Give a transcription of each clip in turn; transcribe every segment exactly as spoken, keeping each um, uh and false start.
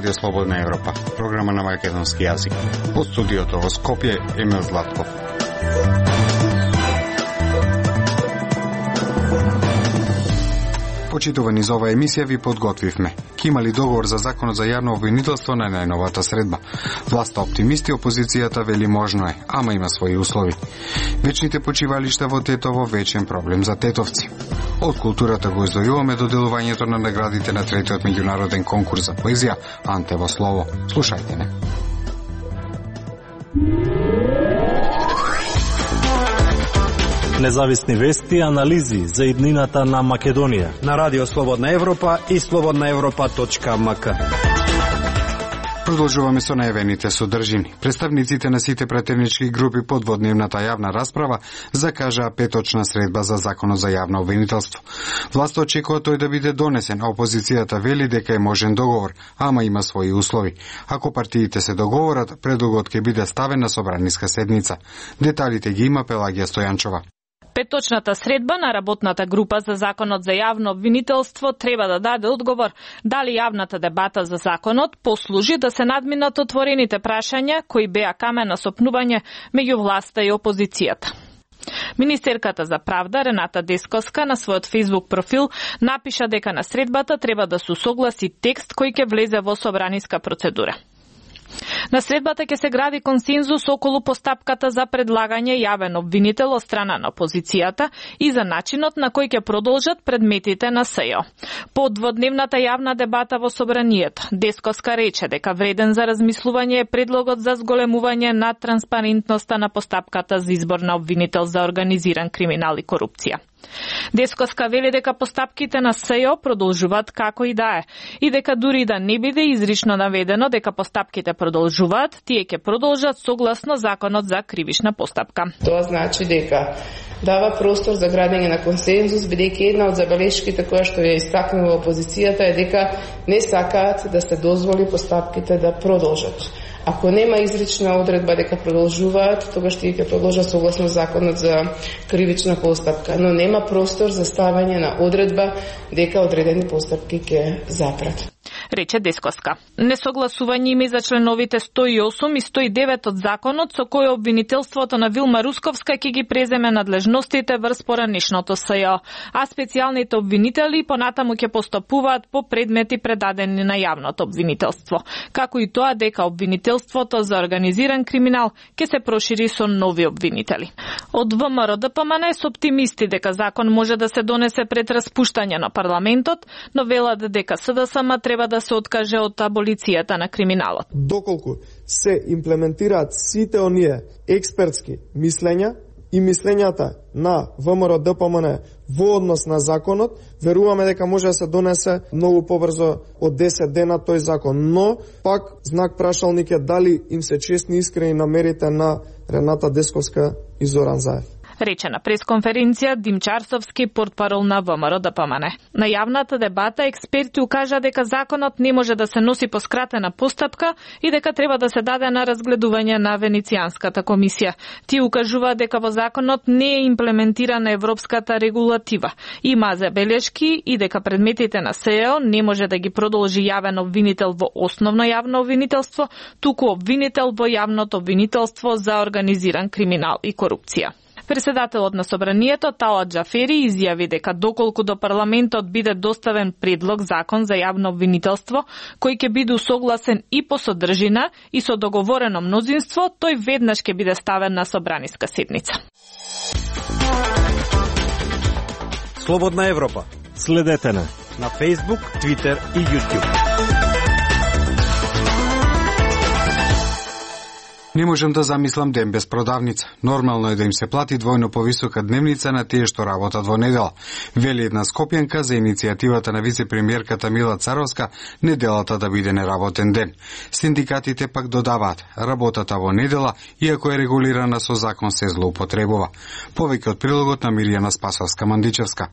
Радио Слободна Европа, програма на македонски јазик. Од студиото во Скопје, Емил Златков. Почитувани за оваа емисија ви подготвивме. Ке има ли договор за законот за јавно обвинителство на најновата средба? Власта оптимисти, опозицијата вели можно е, ама има своји услови. Вечните почивалишта во Тетово вечен проблем за тетовци. Од културата го издвојуваме доделувањето на наградите на третиот меѓународен конкурс за поезија Анте во слово. Слушајте не. Независни вести и анализи за иднината на Македонија на Радио Слободна Европа и слободна европа точка ем ка. Продолжуваме со најавените содржини. Представниците на сите претенички групи под водневната јавна расправа закажаа петочна средба за законот за јавно обвинителство. Власта очекува тој да биде донесен, а опозицијата вели дека е можен договор, ама има своји услови. Ако партиите се договорат, предлогот ќе биде ставен на собраниска седница. Деталите ги има Пелагија Стојанчова. Петочната средба на работната група за законот за јавно обвинителство треба да даде одговор дали јавната дебата за законот послужи да се надминат отворените прашања кои беа камен на сопнување меѓу власта и опозицијата. Министерката за правда Рената Десковска на својот фејсбук профил напиша дека на средбата треба да се усогласи текст кој ќе влезе во собраниска процедура. На средбата ќе се гради консензус околу постапката за предлагање јавен обвинител од страна на опозицијата и за начинот на кој ќе продолжат предметите на СЈО. По дводневната јавна дебата во собранието, Десковска рече дека вреден за размислување е предлогот за зголемување на транспарентноста на постапката за избор на обвинител за организиран криминал и корупција. Десковска вели дека постапките на СЈО продолжуваат како и да е и дека дури да не биде изрично наведено дека постапките продолжуваат, тие ќе продолжат согласно законот за кривична постапка. Тоа значи дека дава простор за градење на консензус, бидејќи една од забелешките која што ја истакнува опозицијата е дека не сакаат да се дозволи постапките да продолжат. Ако нема изрична одредба дека продолжуваат, тогаш тие ќе продолжат согласно законот за кривична постапка, но нема простор за ставање на одредба дека одредени постапки ќе запрат. Рече Десковска. Несогласување има и за членовите сто и осум и сто и девет од законот со кој обвинителството на Вилма Русковска ќе ги преземе надлежностите врз поранешното СЈО, а специјалните обвинители понатаму ќе постапуваат по предмети предадени на јавното обвинителство, како и тоа дека обвинителството за организиран криминал ќе се прошири со нови обвинители. Од ВМРО Д П М Н се оптимисти дека закон може да се донесе пред распуштање на парламентот, но велат дека С Д С М треба да се откаже од аболицијата на криминалот. Доколку се имплементираат сите оние експертски мислења и мислењата на ВМРО Д П М Н во однос на законот, веруваме дека може да се донесе многу побрзо од десет дена тој закон, но пак знак прашалник е дали им се честни и искрени намерите на Рената Десковска и Зоран Заев. Рече на пресконференција Димчарсовски, портпарол на ВМРО Д П М Н. На јавната дебата експерти укажа дека законот не може да се носи по скратена постапка и дека треба да се даде на разгледување на Венецијанската комисија. Тие укажуваат дека во законот не е имплементирана европската регулатива. Има забелешки и дека предметите на СЈО не може да ги продолжи јавен обвинител во основно јавно обвинителство, туку обвинител во јавното обвинителство за организиран криминал и корупција. Председателот на собранието Талат Џафери изјави дека доколку до парламентот биде доставен предлог закон за јавно обвинителство, кој ќе биде усогласен и по содржина и со договорено мнозинство, тој веднаш ќе биде ставен на собраниска седница. Слободна Европа. Следете на на Facebook, Twitter и YouTube. Не можам да замислам ден без продавница. Нормално е да им се плати двојно повисока дневница на тие што работат во недела. Вели една скопјанка за иницијативата на вице-премиерката Мила Царовска неделата да биде неработен ден. Синдикатите пак додаваат, работата во недела, иако е регулирана со закон, се злоупотребува. Повеќе од прилогот на Мирјана Спасовска-Мандичевска.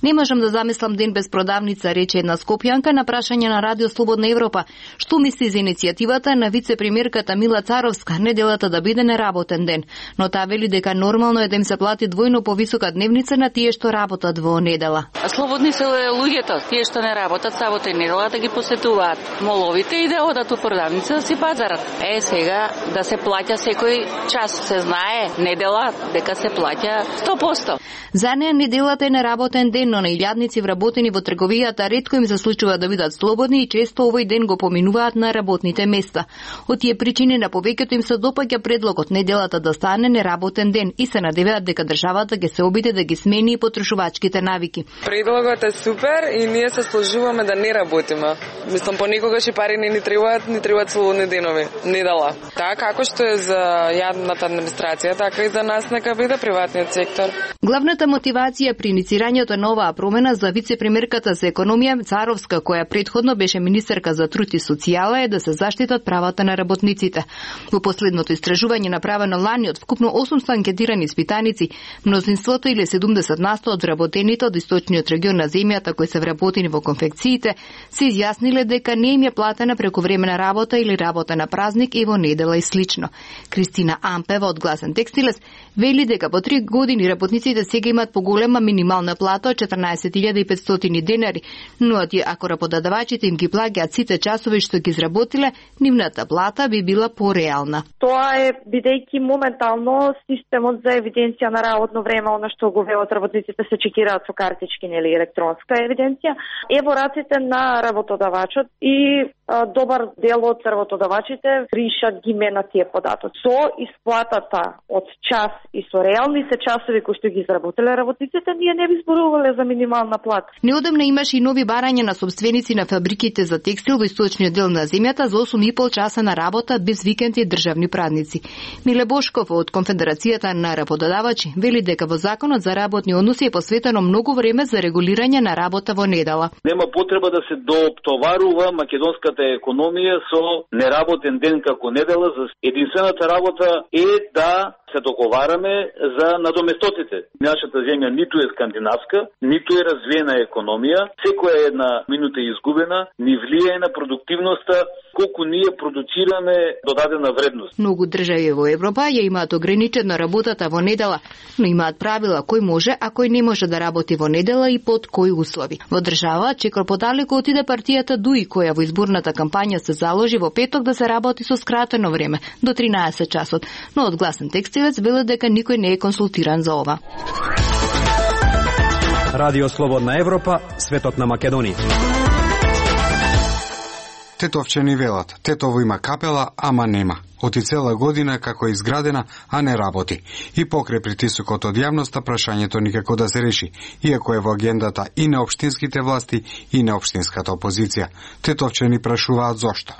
Не можам да замислам ден без продавница, рече една скопјанка на прашање на Радио Слободна Европа. Што мисли за иницијативата на вице-премиерката Мила Царовска неделата да биде неработен ден, но таа вели дека нормално е да им се плати двојно повисока дневница на тие што работат во недела. Слободни се луѓето, тие што не работат сабота и недела да ги посетуваат моловите и да одат у продавница да си пазарат. Е, сега да се плаќа секој час, се знае недела дека се плаќа сто проценти. За неа неделата е неработен ден, но на илјадници вработени во трговијата ретко им се случува да бидат слободни и често овој ден го поминуваат на работните места. Од тие причини на повеќето им се допаѓа предлогот неделата да стане неработен ден и се надеваат дека државата ќе се обиде да ги смени и потрошувачките навики. Предлогот е супер и ние се сложуваме да не работиме. Мислам, понекогаш и пари не ни требаат, ни требаат слободни денови, недела. Така како што е за јадната администрација, така и за нас нека биде приватниот сектор. Главната мотивација при иницирањето на оваа промена за вице-премиерката за економија Царовска, која претходно беше министерка за труд и социјала, е да се заштитат правата на работниците. Во последното истражување направено лани од вкупно осумстотини анкетирани испитаници, мнозинството или седумдесет на сто од вработените од источниот регион на земјата кои се вработени во конфекциите се изјасниле дека не им е платена прековремена работа или работа на празник и во недела и слично. Кристина Ампева од Гласен Текстилес вели дека по три години работниците сега имаат поголема минимална плата од четрнаесет илјади и петстотини денари, но ако работодавачите им ги плаќаат сите часови што ги изработиле, нивната плата би била пореална. Тоа е бидејќи моментално системот за евиденција на работно време, она што го велат работниците, се чекираат со картички или електронска евиденција, е во раците на работодавачот и а, добар дел од работодавачите ришат ги менат тие податоци. Со исплатата од час и со реалните часови кои што ги изработиле работниците, ние не би зборувале за минимална плата. Неодамна имаше и нови барања на собственици на фабриките за текстил во источниот дел на земјата за осум и пол часа на работа без викенди и државни празници. Миле Бошков од Конфедерацијата на работодавачи вели дека во законот за работни односи е посветено многу време за регулирање на работа во недела. Нема потреба да се доптоварува македонската економија со неработен ден како недела. За единствената работа е да се договараме за надоместотите. Нашата земја ниту е скандинавска, ниту е развиена економија. Секоја една минута е изгубена, ни влијае на продуктивноста колку ние продуцираме додадена вредност. Многу држави во Европа ја имаат ограничено работата во недела, но имаат правила кој може, а кој не може да работи во недела и под кои услови. Во држава чекор подалеку отиде партијата ДУИ, која во изборната кампања се заложи во петок да се работи со скратено време, до тринаесет часот, но од Гласен Текстилец веле дека никој не е консултиран за ова. Радио Слободна Европа, светот на Македонија. Тетовчени велат, Тетово има капела, ама нема. Оти цела година како е изградена, а не работи. И покрај притисокот од јавноста, прашањето никако да се реши, иако е во агендата и на општинските власти и на општинската опозиција. Тетовчени прашуваат зошто.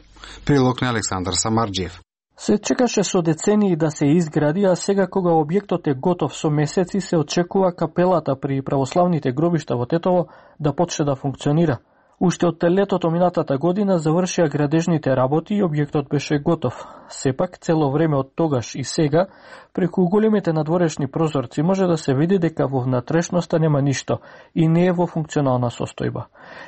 Прилог на Александар Самарџиев. Се чекаше со децении да се изгради, а сега кога објектот е готов со месеци, се очекува капелата при православните гробишта во Тетово да почне да функционира. Уште од летото минатата година завршија градежните работи и објектот беше готов. Сепак, цело време од тогаш и сега, преку големите надворешни прозорци може да се види дека во внатрешноста нема ништо и не е во функционална состојба.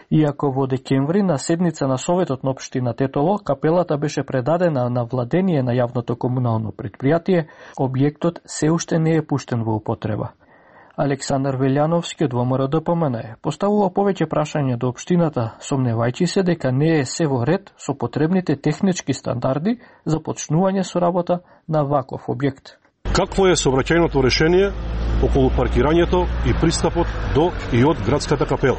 Иако во декември на седница на Советот на општина Тетово, капелата беше предадена на владение на јавното комунално предпријатие, објектот се уште не е пуштен во употреба. Александар Велјановски од ВМРО-ДПМН поставува повеќе прашања до општината, сомневајќи се дека не е се во ред со потребните технички стандарди за почнување со работа на ваков објект. Какво е сообраќајното решение околу паркирањето и пристапот до и од градската капела?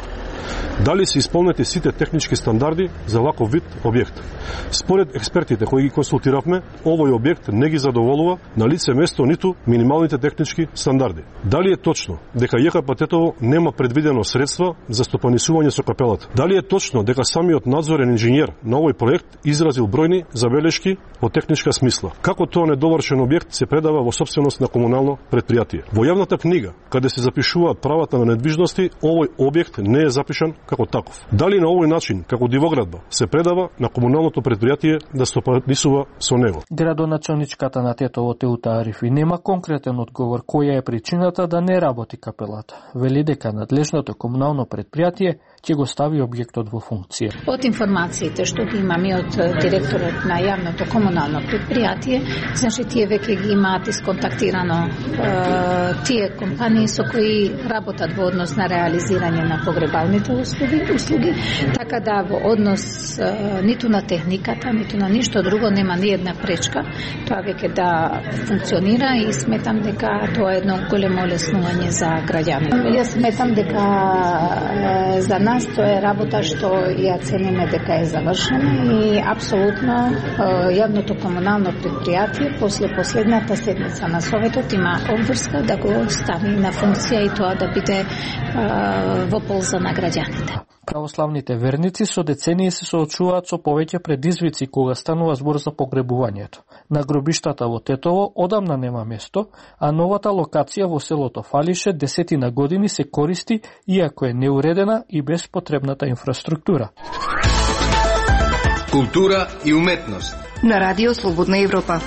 Дали се исполнети сите технички стандарди за ваков вид објект? Според експертите кои ги консултиравме, овој објект не ги задоволува на лице место ниту минималните технички стандарди. Дали е точно дека ЈКП Тетово нема предвидено средства за стопанисување со капелата? Дали е точно дека самиот надзорен инженер на овој проект изразил бројни забелешки во техничка смисла? Како тоа недовршен објект се предава во сопственост на комунално предпријатие? Во јавната книга, каде се запишуваат правата на недвижности, овој објект не е напишан како таков. Дали на овој начин, како дивоградба, се предава на комуналното предпријатие да стопанисува со него? Градоначалничката на Тетово Теута Арифи нема конкретен одговор која е причината да не работи капелата. Вели дека надлежното комунално предпријатие ќе го стави објектот во функција. Од информациите што ги имаме од директорот на јавното комунално предпријатие, значи тие веќе ги имаат исконтактирано е, тие компании со кои работат во однос на реализирање на погребалните услуги, услуги така да во однос е, ниту на техниката, ниту на ништо друго нема ни една пречка тоа веќе да функционира и сметам дека тоа е едно големо олеснување за граѓаните. Јас сметам дека е, за нас тоа е работа што ја цениме дека е завршена и апсолутно јавното комунално предпријатие после последната седница на Советот има обврска да го стави на функција и тоа да биде е, во полза на граѓаните. Православните верници со децении се соочуваат со повеќе предизвици кога станува збор за погребувањето. На гробиштата во Тетово одамна нема место, а новата локација во селото Фалише десетина години се користи иако е неуредена и без потребната инфраструктура. Култура и уметност на Радио Слободна Европа.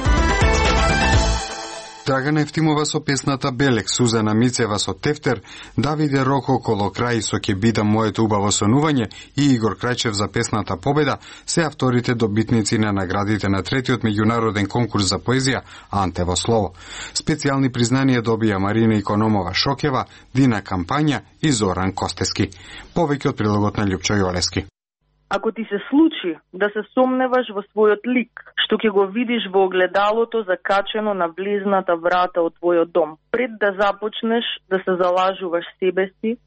Драгана Евтимова со песната Белек, Сузана Мицева со Тефтер, Давиде Роко Колокрај со Ке бидам моето убаво сонување и Игор Крајчев за песната Победа се авторите добитници на наградите на третиот меѓународен конкурс за поезија Антево слово. Специјални признанија добија Марина Икономова Шокева, Дина Кампања и Зоран Костески. Повеќе од прилогот на Љупчо Јолески. Ако ти се случи да се сомневаш во својот лик, што ќе го видиш во огледалото закачено на влезната врата од твојот дом, пред да започнеш да се залажуваш себе си,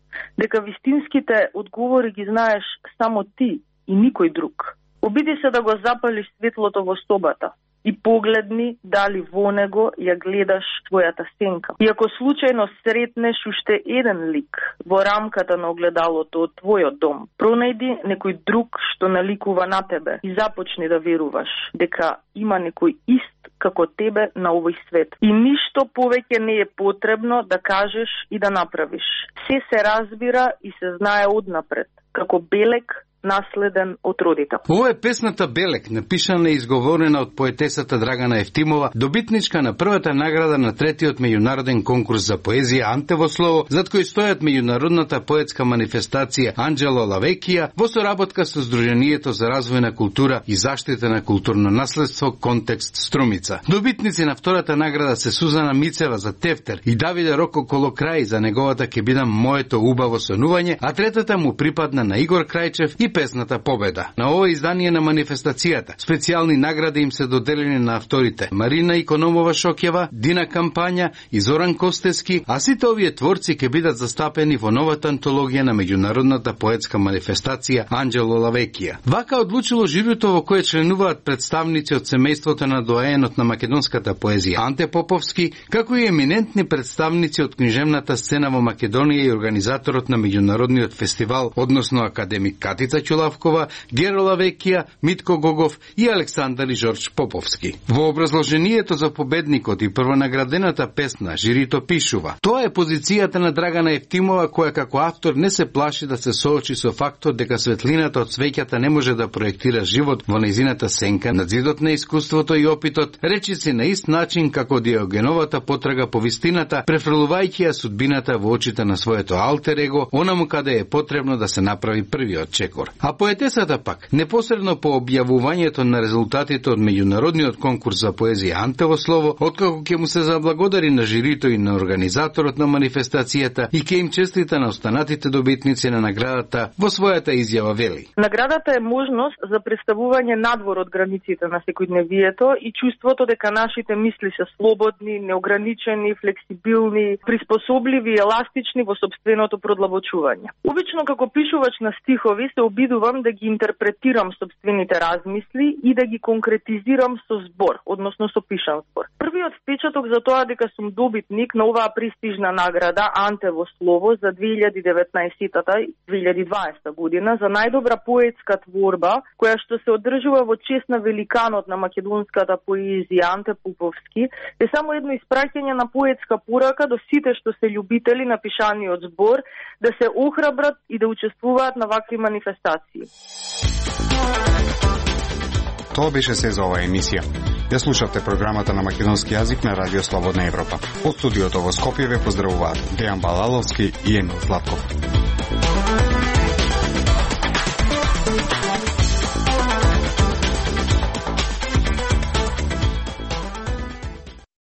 дека вистинските одговори ги знаеш само ти и никој друг. Обиди се да го запалиш светлото во собата и погледни дали во него ја гледаш твојата сенка. И ако случајно сретнеш уште еден лик во рамката на огледалото од твојот дом, пронајди некој друг што наликува на тебе и започни да веруваш дека има некој ист како тебе на овој свет. И ништо повеќе не е потребно да кажеш и да направиш. Се се разбира и се знае однапред, како белек наследен од родител. Ова е песната Белек, напишана и изговорена од поетесата Драгана Евтимова, добитничка на првата награда на третиот меѓународен конкурс за поезија Антево слово, зад кој стојат меѓународната поетска манифестација Анџело Лавекија во соработка со Сдруженијето за развој на култура и заштита на културно наследство Контекст Струмица. Добитници на втората награда се Сузана Мицева за Тефтер и Давиде Роко Колокрај за неговата Ке бидам моето убаво сонување, а третата му припадна на Игор Крајчев и песната Победа. На ова издание на манифестацијата специјални награди им се доделени на авторите Марина Икономова Шокева, Дина Кампања и Зоран Костески, а сите овие творци ќе бидат застапени во новата антологија на меѓународната поетска манифестација Анџело Лавекија. Вака одлучило жирито во кое членуваат представници од семејството на доаенот на македонската поезија Анте Поповски, како и еминентни представници од книжевната сцена во Македонија и организаторот на меѓународниот фестивал, односно академик Катица Чулавкова, Геро Лавекија, Митко Гогов и Александар и Жорж Поповски. Во образложението за победникот и првонаградената песна жирито пишува: тоа е позицијата на Драгана Евтимова, која како автор не се плаши да се соочи со фактот дека светлината од свеќата не може да проектира живот во нејзината сенка на зидот на искуството и опитот, речиси на ист начин како Диогеновата потрага по вистината, префрлувајќи ја судбината во очите на своето алтер его, онаму каде е потребно да се направи првиот чекор. А поетесата пак, непосредно по објавувањето на резултатите од меѓународниот конкурс за поезија Антево слово, откако ќе му се заблагодари на жирито и на организаторот на манифестацијата и ќе им честита на останатите добитници на наградата, во својата изјава вели: наградата е можност за представување надвор од границите на секојдневието и чувството дека нашите мисли се слободни, неограничени, флексибилни, приспособливи и еластични во сопственото продлабочување. Обично како пишувач на стихови се обидувам да ги интерпретирам собствените размисли и да ги конкретизирам со збор, односно со пишан збор. Првиот впечаток за тоа дека сум добитник на оваа престижна награда Анте во слово за две илјади и деветнаесетта две илјади и дваесетта година за најдобра поетска творба, која што се одржува во чест на великанот на македонската поезија Анте Пуповски, е само едно испраќање на поетска порака до сите што се љубители на пишаниот збор да се охрабрат и да учествуваат на вакви манифестации. Тоа беше се за оваа емисија. Ја слушавте програмата на македонски јазик на Радио Слободна Европа. Од студиото во Скопје ве поздравуваат Дејан Балаловски и Емил Златков.